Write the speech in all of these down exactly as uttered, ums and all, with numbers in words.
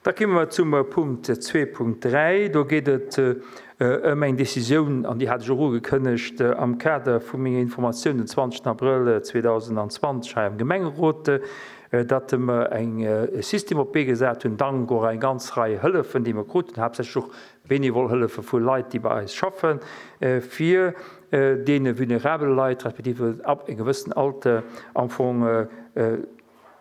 Da komme mer zum Punkt zwee Punkt dräi. Do geet et ëm eng Décisioun, an déi hat ech och ugekënnegt am Kader vu menger Informatioun den zwanzegsten Abrëll zweedausendzwanzeg hei am Gemengerot, datt mer eng e System op d'Bee gesat hunn, dank och eng ganz Rei Hëllefen, déi mer kruten, haaptsächlech och bénévol Hëllefe vu Leit, déi bei eis schaffen, fir deene vulnerabele Leit, respektiv ab engem gewëssenen Alter am Fong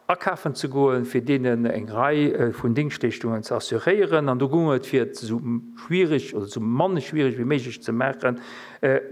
akafen ze goen, fir deenen eng Rei vun Dingschtleeschtungen ze assuréieren. An do goung et, fir et esou schwierig oder esou mann schwierig wéi méiglech ze maachen,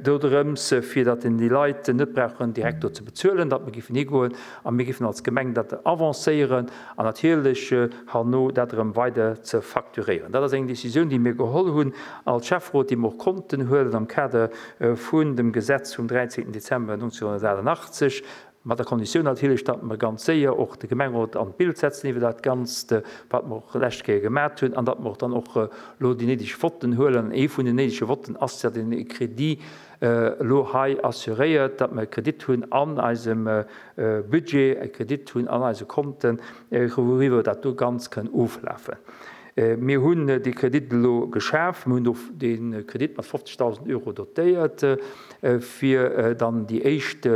do drëms, fir datt déi Leit net brauchen direkt do ze bezuelen, datt mer géifen higoen a mir géifen als Gemeng dat avancéieren an natierlech herno dat erëm weider ze facturéieren. Dat ass eng Décisioun, déi mir geholl hunn als Schäfferot, déi mer och konnten huelen am Kader vun dem Gesetz vum dräizehnten Dezember neunzehnhundertachtundachtzeg, mat der Konditioun natierlech, datt mer ganz séier och de Gemengerot an d'Bild setzen iwwer dat Ganzt, wat mer och lescht Kéier gemaat hunn, an datt mer och dann och elo déi néideg Votten huelen. An ee vun den néidege Votten ass, datt een e Crédit elo hei assuréiert, datt mer e Kredit hunn an eisem Budget, e Kredit hunn an eise Konten, wouriwwer dat do ganz kënn oflafen. Mir hunn dee Kredit elo geschaf, mir hunn do dee Kredit mat fofzegdausend Euro dotéiert, fir dann déi éischt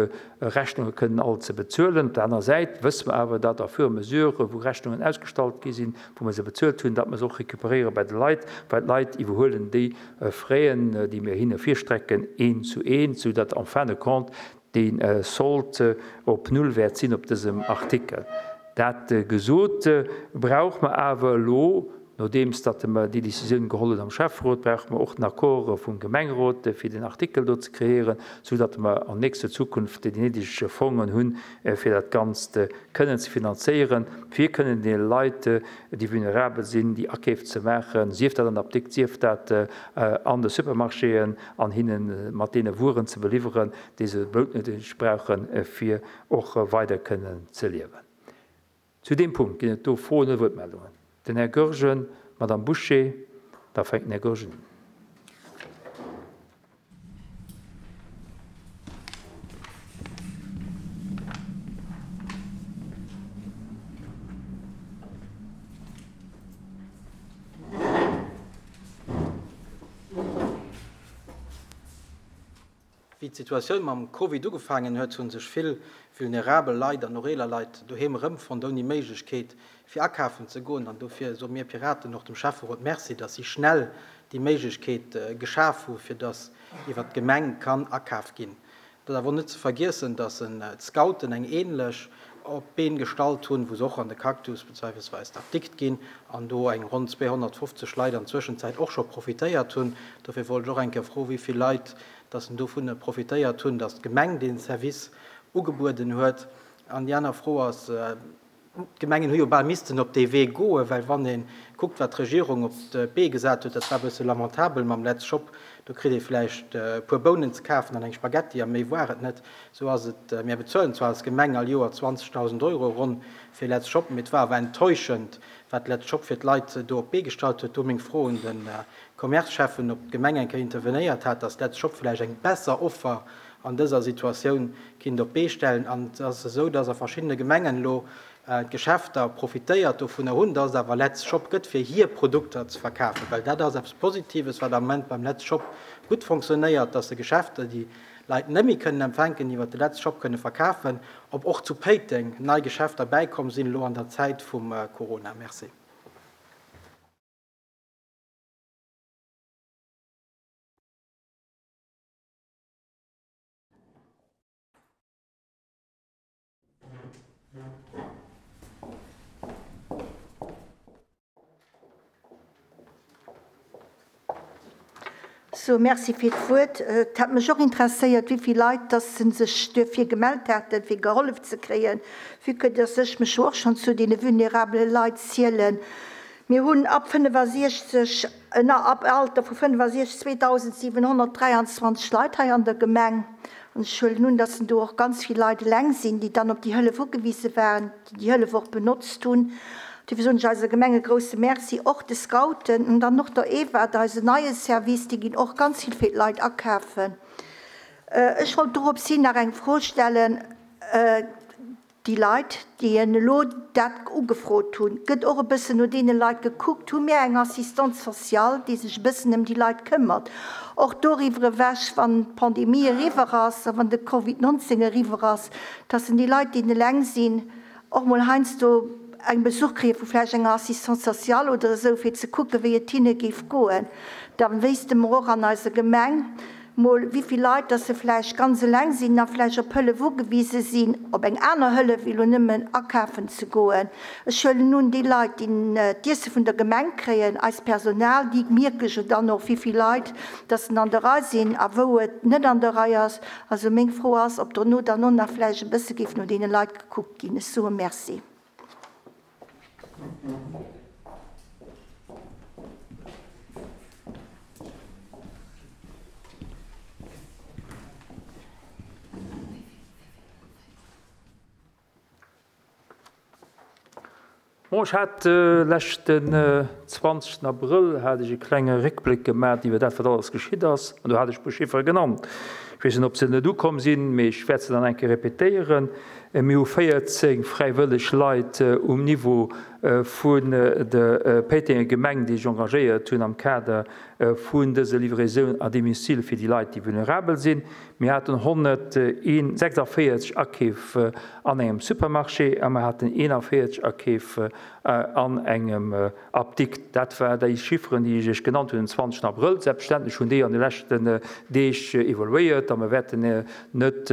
Rechnunge kënnen all ze bezuelen. Op der anerer Säit wësse mer awer, datt à fur et à mesure, wou Rechnungen ausgestallt gi sinn, wou mer se bezuelt hunn, datt mer se och récupéréiere bei de Leit, well d'Leit iwwerhuelen déi Fräen, déi mir hinne virstrecken, een zu een, soudatt en fin de compte dee Solde op null wäert sinn op dësem Artikel. Dat gesot, brauche mer awer elo, nodeems datt mer déi Décisioun geholl hunn am Schäfferot, brauche mer och den Accord vum Gemengerot, fir den Artikel do ze kreéieren, soudatt mer an nächster Zukunft déi néideg Fongen hunn, fir dat Ganzt kënnen ze finanzéieren, fir kënnen deene Leit, déi vulnerabel sinn, déi Akeef ze maachen, sief dat an der Apdikt, sief dat an de Supermarchéen, an hinne mat deene Wueren ze beliwweren, déi se noutwendeg brauchen, fir och weider kënnen ze liewen. Zu deem Punkt ginn et do Froen oder Wuertmeldungen. Den Här Goergen, Madame Bouché, da fänkt den Här Goergen un. Wéi d'Situatioun mam Covid ugefaangen huet, hu sech vill vulnerabel Leit an och eeler Leit doheem erëmfonnt, ouni Méiglechkeet fir akafen ze goen. An dofir soe mir Piraten och dem Schäfferot Merci, datt si schnell déi Méiglechkeet geschaf hu, fir datt iwwer d'Gemeng kann akaf ginn. Dat ass awer net ze vergiessen, datt d'Scouten eng ähnlech op d'Been gestallt hunn, wou se och an de Cactus beziehungsweise d'Apdikt ginn an do eng ronn zweehonnertfofzeg Leit an Zwëschenzäit och scho profitéiert hunn. Dofir wollt ech och eng Kéier froen, wéi vill Leit dass en dovun profitéiert hunn, dass d'Gemeng den Service ugebueden huet. An déi aner Fro ass, d'Gemengen hu jo bal missten op dee Wee goen, well wann ee kuckt, wat d'Regierung op d'Bee gesat huet, dat war e bësse lamentabel mam Let's Shop, do kritt ee vläicht e puer Bounen ze kafen an eng Spaghetti a méi war et net. Sou ass et, mir bezuelen zwar als Gemeng all Joer zwanzegdausend Euro ronn fir Let's Shop, mee et war awer enttäuschend, wat Let's Shop fir d'Leit do op d'Bee gestallt huet. Do meng Fro un de Commerce-Cheffen, ob d'Gemeng eng Kéier intervenéiert hat, dass Let's Shop vläicht eng besser Offer an dëser Situatioun kinnt op d'Bee stellen. An et ass esou, dass a verschiddene Gemengen elo d'Geschäfter profitéiert dovunner hunn, dass et awer Let's Shop gëtt, fir hir Produkter ze verkafen. Well dat ass eppes Positives, wat am Moment beim Let's Shop gutt fonctionnéiert, dass de Geschäfter, déi Leit net méi kënnen empfänken, iwwer de Let's Shop kënne verkafen, ob och zu Péiteng nei Geschäfter bäikomm sinn elo an der Zäit vum Corona. Merci. So, merci fir d'Wuert. Et hat mech och interesséiert, wéi vill Leit dass se sech duerfir gemellt haten, fir gehollef ze kréien, vu que dass ech mech jo och schonn zu deene vulnerabele Leit zielen. Mir hunn ab fënnefasiechzeg, na, ab Alter vu fënnefasiechzeg zweedausendsiewenhonnertdräianzwanzeg Leit hei an der Gemeng. An ech huelen un, dass do och ganz vill Leit eleng sinn, déi dann op déi Hëllef ugewise waren, déi déi Hëllef och benotzt hunn. Dofir soen ech eiser Gemeng e grousse Merci, och de Scouten an dann och der Eva, eise neie Service, déi ginn och ganz vill fir d'Leit akafen. Ech wollt dorops hin nach eng Fro stellen. Déi Leit, déi elo dat ugefrot hunn, gëtt och e bëssen no deene Leit gekuckt? Hu mir eng Assistante sociale, déi sech e bëssen ëm déi Leit këmmert? Och doriwwer ewech, wann d'Pandemie eriwwer ass a wann de Covid neunzéng eriwwer ass, dass déi Leit, déi eleng sinn, och mol heiansdo eng Besuch kréie vu vläicht enger Assistante sociale oder esou, fir ze kucken, wéi et hinne géif goen. Da wéisste mer och an eiser Gemeng mol, wéi vill Leit dass se vläicht ganz eleng sinn a vläicht op Hëllef ugewise sinn, op eng aner Hëllef, wéi elo nëmmen akafen ze goen. Ech huelen un, déi Leit, déi d'Iesse vun der Gemeng kréien, eist Personal, déi mierke jo dann och, wéi vill Leit dass en an der Rei sinn a wou et net an der Rei ass. Also meng Fro ass, ob dono dann och nach vläicht e bësse géif no deene Leit gekuckt ginn. Ech soe Merci. Bon, ech hat leschten zwanzegsten Abrëll hat ech e klenge Réckbléck gemaach iwwer dat, wat alles geschitt ass, an do hat ech e puer Chiffere genannt. Ech weess net, ob se net ukomm sinn, mee ech wäert se dann eng Kéier repetéieren. Mir hu véierzéng fräiwëlleg Leit um Niveau vun der Péitenger Gemeng, déi sech engagéiert hunn am Kader vun dëser Livraison à domicile fir déi Leit, déi vulnerabel sinn. Mir haten honnertsechsundvéierzeg Akeef an engem Supermarché a mir haten eenundvéierzeg Akeef an engem Apdikt. Dat war déi Chifferen, déi ech iech genannt hunn den zwanzegsten Abrëll. Selbstverständlech hunn déi an de leschten Deeg evoluéiert a mir wäerten net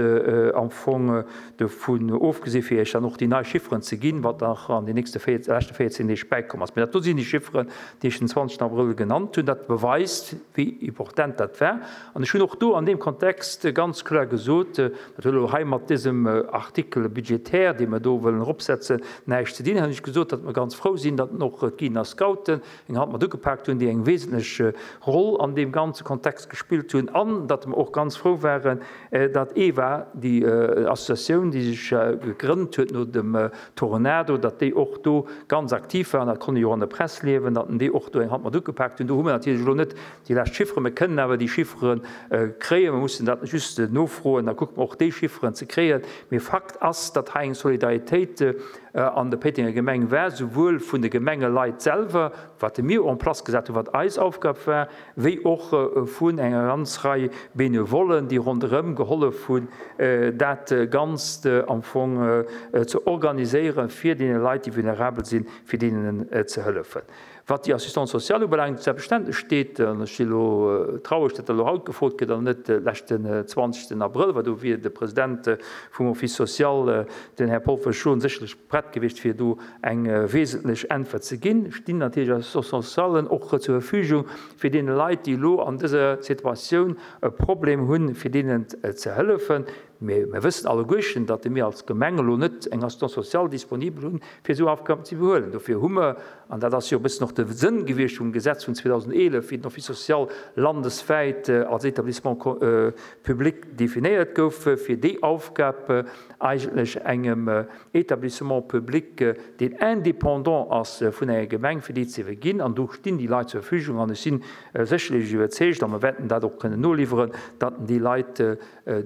am Fong dovun ofgesi fir iech dann och déi nei Chifferen ze ginn, wat nach an den nächste leschte véierzehn Deeg bäikomm ass. Mee dat do sinn déi Chifferen, déi ech den zwanzegsten Abrëll genannt hunn. Dat beweist, wéi important dat war. An ech hunn och do an deem Kontext ganz kloer gesot, dat huet elo hei mat dësem Artikel budgétaire, dee mer do wëllen eropsetzen, näischt ze dinn, hunn ech gesot, datt mer ganz frou sinn, datt och d'Guiden a Scouten eng Hand mat ugepaakt hunn, déi eng wesentlech Roll an deem ganze Kontext gespillt hunn, an datt mer och ganz frou waren, datt EWA, déi Associatioun, déi sech gegrënnt huet no dem Tornado, datt déi och do ganz aktiv waren, dat konnt ee jo och an der Press liewen, datt déi och do eng Hand mat ugepaakt hunn. Do hu mer natierlech elo net déi lescht Chifferen, mir kënnen awer déi Chiffere kréien, mir mussen dat just nofroen, da kucke mer och déi Chifferen ze kréien. Mee Fakt ass, datt hei eng Solidaritéit an der Péitenger Gemeng war, souwuel vun de Gemengeleit selwer, wat mir en place gesat hunn, wat eis Aufgab war, wéi och vun enger ganz Rei Benevollen, déi ronderëm gehollef hunn, dat Ganzt am Fong ze organiséieren, fir deene Leit, déi vulnerabel sinn, fir deenen ze hëllefen. Wat déi Assistance sociale ubelaangt, selbstverständlech steet, an ech si elo traurig, datt dat elo haut gefrot gëtt an net leschten zwanzegsten Abrëll, well do wier de President vum Office social, den Här Paul Verschoen, sécherlech prett gewiescht, fir do eng wesentlech Äntwert ze ginn. Stinn natierlech Assistance socialen och zur Verfügung, fir deene Leit, déi elo an dëser Situatioun e Problem hunn, fir deenen ze hëllefen. Mee mir wëssen alleguerchen, datt mir als Gemeng elo net eng Assistance sociale disponibel hunn, fir esou Aufgaben ze iwwerhuelen. Dofir hu mer, an dat ass jo e bëssen och de Sënn gewiescht vum Gesetz vun zweedausendeelef, wéi den Office social landeswäit als Établissement public definéiert gouf, fir déi Aufgab eigentlech engem Établissement public, deen indépendant ass vun enger Gemeng, fir déi ze iwwerginn. An do stinn déi Leit zur Verfügung. An ech sinn sécherlech iwwerzeegt, a mir wäerten dat och kënnen noliwweren, datt déi Leit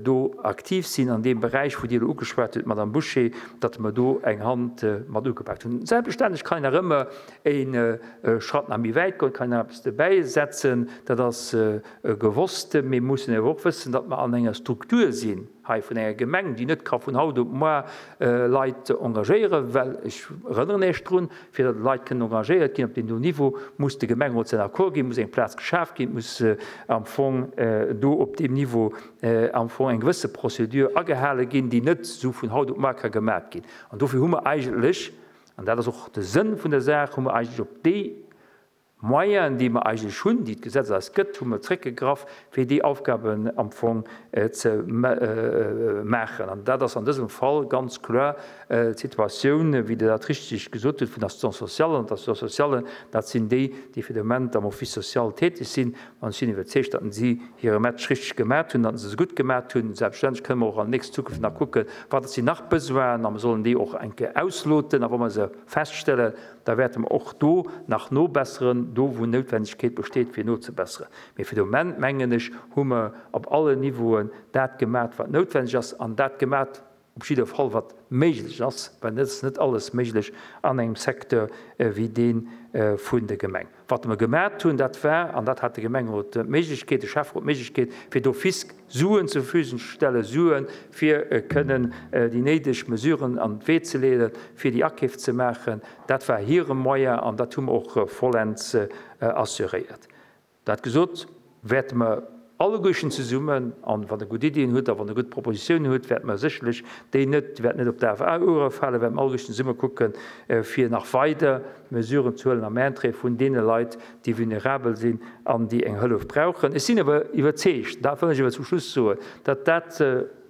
do aktiv sinn an deem Beräich, wou Dir elo ugeschwat hutt, Madame Bouché, datt mer do eng Hand mat ugepaakt hunn. Selbstverständlech kann een nach ëmmer e Schratt nach méi wäit goen, kann een nach eppes dobäisetzen, dat ass gewosst. Mee mir mussen awer och wëssen, datt mer an enger Struktur sinn hei vun enger Gemeng, déi net ka vun haut op muer Leit engagéieren, well ech erënneren Iech drun, fir datt Leit kënnen engagéiert ginn op deem do Niveau, muss de Gemengerot säin Accord ginn, muss eng Plaz geschaf ginn, muss am Fong do op deem Niveau am Fong eng gewësse Procédure agehale ginn, déi net esou vun haut op muer ka gemat ginn. An dofir hu mer eigentlech, an dat ass och de Sënn vun der Saach, hu mer eigentlech op déi Moyenen, déi mer eigentlech hunn, déi d'Gesetz eis gëtt, hu mer zréckgegraff, fir déi Aufgaben am Fong ze maachen. An dat ass an dësem Fall ganz kloer d'Situatioun, wéi Dir dat richtig gesot hutt, vun der Assistance sociale. An d'Assistance sociale, dat sinn déi, déi fir de Moment am Office social tätig sinn. An ech sinn iwwerzeegt, datt si hire Match richtig gemaach hunn, datt se se gutt gemaach hunn. Selbstverständlech kënnen mer och an nächster Zukunft nach kucken, wat sinn nach Besoinen, a mer sollen déi och eng Kéier ausloten. A wa mer se feststellen, da wäerte mer och do nach nobesseren, do wou Noutwendegkeet besteet, fir nozebesseren. Mee fir de Moment, mengen ech, hu mer op allen Niveauen dat gemaach, wat noutwendeg ass, an dat gemaach, Op jidder Fall wat méiglech ass, well et ass net alles méiglech an engem Secteur wéi dee vun der Gemeng. Wat mer gemat hunn, dat war, an dat hat de Gemengerot d'Méiglechkeet, de Schäfferot d'Méiglechkeet, fir d'office Suen zur Verfügung ze stellen, Suen, fir kënnen déi néideg Mesuren an d'Wee ze leeden, fir déi Akeef ze maachen. Dat war hire Moyen an dat hu mer och vollends assuréiert. Dat gesot, wäerte mer alleguerchen zesummen, an wann Der gutt Iddien hutt a wann Der gutt Propositiounen hutt, wäerte mer sécherlech déi net, déi wäerten net op daf Ouere falen, wäerte mer alleguerchen zesumme kucken, fir nach weider Mesuren ze huelen am Interêt vun deene Leit, déi vulnerabel sinn an déi eng Hëllef brauchen. Ech sinn awer iwwerzeegt, dat wëll ech awer zum Schluss soen, datt dat,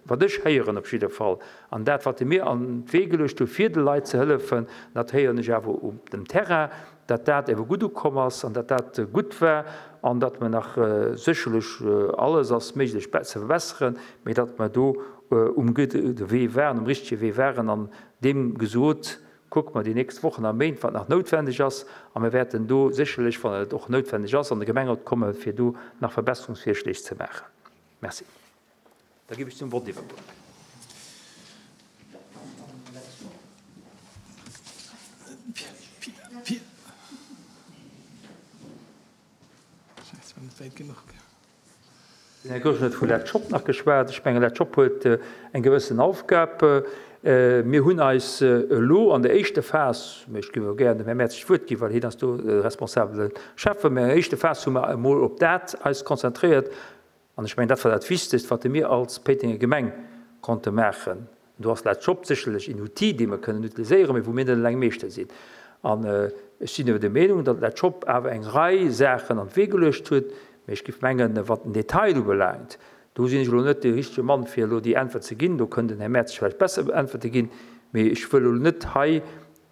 wat ech héieren op jidder Fall, an dat, wat mir an d'Wee geluecht hu fir de Leit ze hëllefen, dat héieren ech awer op dem Terrain, datt dat ewe gutt ukomm ass an datt dat gutt war an datt mer nach sécherlech, alles ass méiglech ze verbesseren, mee datt mer do um gudde Wee waren, um richtege Wee waren an deem gesot, kucke mer déi nächst Wochen a Méint, wat nach noutwendeg ass a mir wäerten do sécherlech, wann et och noutwendeg ass, an de Gemengerot komme fir do nach Verbesserungsvirschléig ze maachen. Merci. Da géif ech zum Vott iwwergoen. Den Här Goergen huet vu Let's Shop nach geschwat. Ech mengen, Let's Shop huet eng gewëssen Aufgab. Mir hunn eis elo an der éischter Phas, mä ech géif elo gären dem Här Mertzig d'Wuert ginn, well hien ass do de responsabele Schäffen, mä an der éischter Phas hu mer emol op dat eis konzentréiert, An ech mengen, dat war dat Wichtegst, wat mir als Péitenger Gemeng konnte maachen. Do ass Let's Shop sécherlech een Outil, dee mer kënnen utiliséieren, mee wou mir net eleng Meeschter sinn. An ech sinn awer der Meenung, datt Let's Shop awer eng Rei Saachen an d'Wee geluecht huet. Mee ech géif mengen, wat den Detail ubelaangt, do sinn ech elo net dee richtege Mann, fir elo déi Äntwert ze ginn. Do kënnt den Här Mertz vläicht besser Äntwerte ginn. Mee ech wëll elo net hei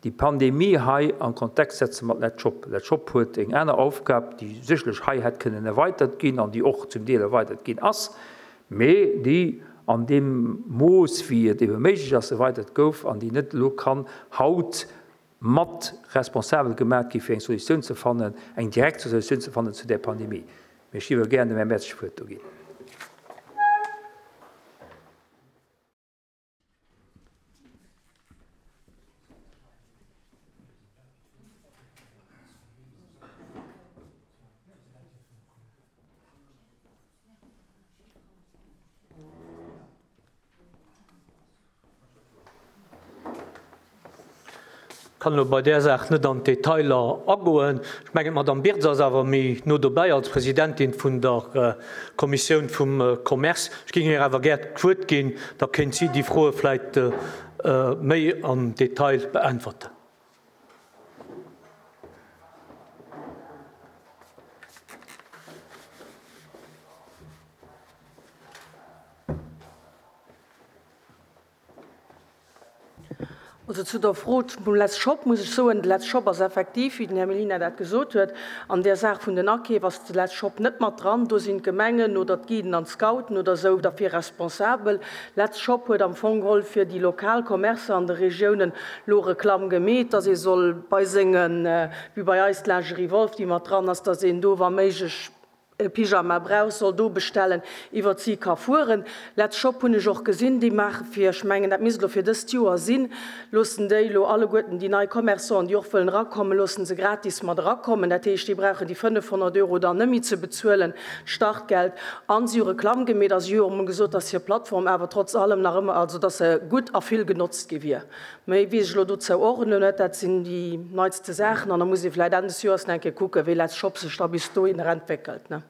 déi Pandemie hei an Kontext setze mat Let's Shop. Let's Shop huet eng aner Aufgab, déi sécherlech hei hätt kënnen erweitert ginn an déi och zum Deel erweitert ginn ass, mee déi an deem Mooss, wéi et ebe méiglech ass, erweitert gouf an déi net elo kann haut mat responsabel gemaach gi fir eng Solutioun ze fannen, eng direkt Solutioun ze fannen zu där Pandemie. Mee ech géif elo gären dem Här Mertz d'Wuert do ginn. Kann elo bei där Saach net an d'Detailer agoen. Ech mengen, d'Madame Birtz ass awer méi no dobäi als Presidentin vun der Kommissioun vum Commerce. Ech géing hir awer gär d'Wuert ginn, da kéint si déi Froe vläicht méi am Detail beäntwerten. Also zu der Fro vum Let's Shop muss ech soen, de Let's Shop ass effektiv, wéi den Här Mellina dat gesot huet, an där Saach vun den Akeef ass de Let's Shop net mat dran. Do sinn d'Gemengen oder d'Guiden an d'Scouten oder esou derfir responsabel. Let's Shop huet am Fong geholl fir déi lokal Commercer an de Regiounen elo Reklamm gemeet, dass ee soll bei sengen, wéi bei eis d'Lingerie Wolff, déi mat dran ass, dass een do wa méiglech e Pyjama brauch, soll do bestellen, iwwert si ka fueren. Let's Shop hunn ech och gesinn, déi maache fir, ech mengen dat misst elo fir dëst Joer sinn, loossen déi elo alleguerten déi nei Commerçanten, déi och wëllen erakommen, loossen se gratis mat erakommen. Dat heescht, déi brauchen déi fënnefhonnert Euro dann net méi ze bezuelen, d'Startgeld. An si hu Reklamm gemeet a si hu och emol gesot, dass hir Plattform awer trotz allem nach ëmmer, also dass se gutt a vill genotzt gi wier. Méi weess ech elo dozou och elo net. Dat sinn déi neitste Saachen an da muss ee vläicht Enn des Joers nach eng Kéier kucken, wéi Let's Shop sech da bis dohinner entwéckelt, ne?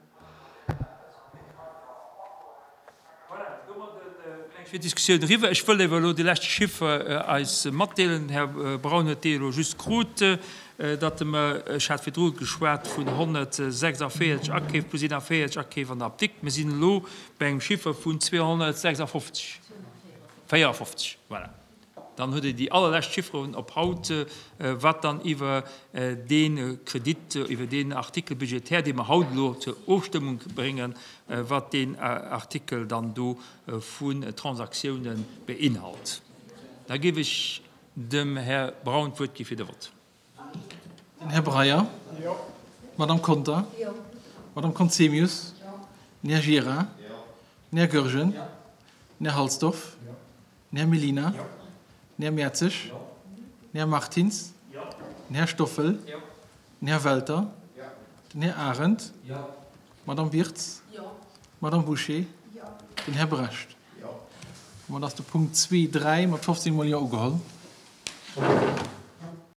Voilà, domadde mengen ech wier d'Diskussioun eriwwer. Ech wëll awer elo de leschte Chiffer eis matdeelen. Den Här Braun huet dee elo just krut, datt mer, ech hat virdru geschwat vun honnertsechsundvéierzeg Akeef plus eenundvéierzeg Akeef an der Apdikt, mir sinn elo bei engem Chiffer vun zweehonnertsechsundfofzeg, véierundfofzeg, voilà. Dann hutt Dir déi allerlescht Chifferen op haut, wat dann iwwer dee Kredit, iwwer deen Article budgétaire, dee mer haut elo zur Ofstëmmung bréngen, wat deen Artikel dann do vun Transaktiounen beinhalt. Da géif ech dem Här Braun d'Wuert gi fir de Vott. Den Här Breyer. Jo. D'Madame Conter. Jo. D'Madame Conzemius. Jo. Den Här Gira. Jo. Den Här Goergen. Jo. Den Här Halsdorf. Jo. Den Här Mellina. Den Här Mertzig. Den Här Martins. Den Här Stoffel. Den Här Welter. Den Här Arendt. D'Madame Wirtz. D'Madame Bouché. Den Här Brecht. Domat ass de Punkt zwee, dräi mat fofzéng mol Jo ugeholl.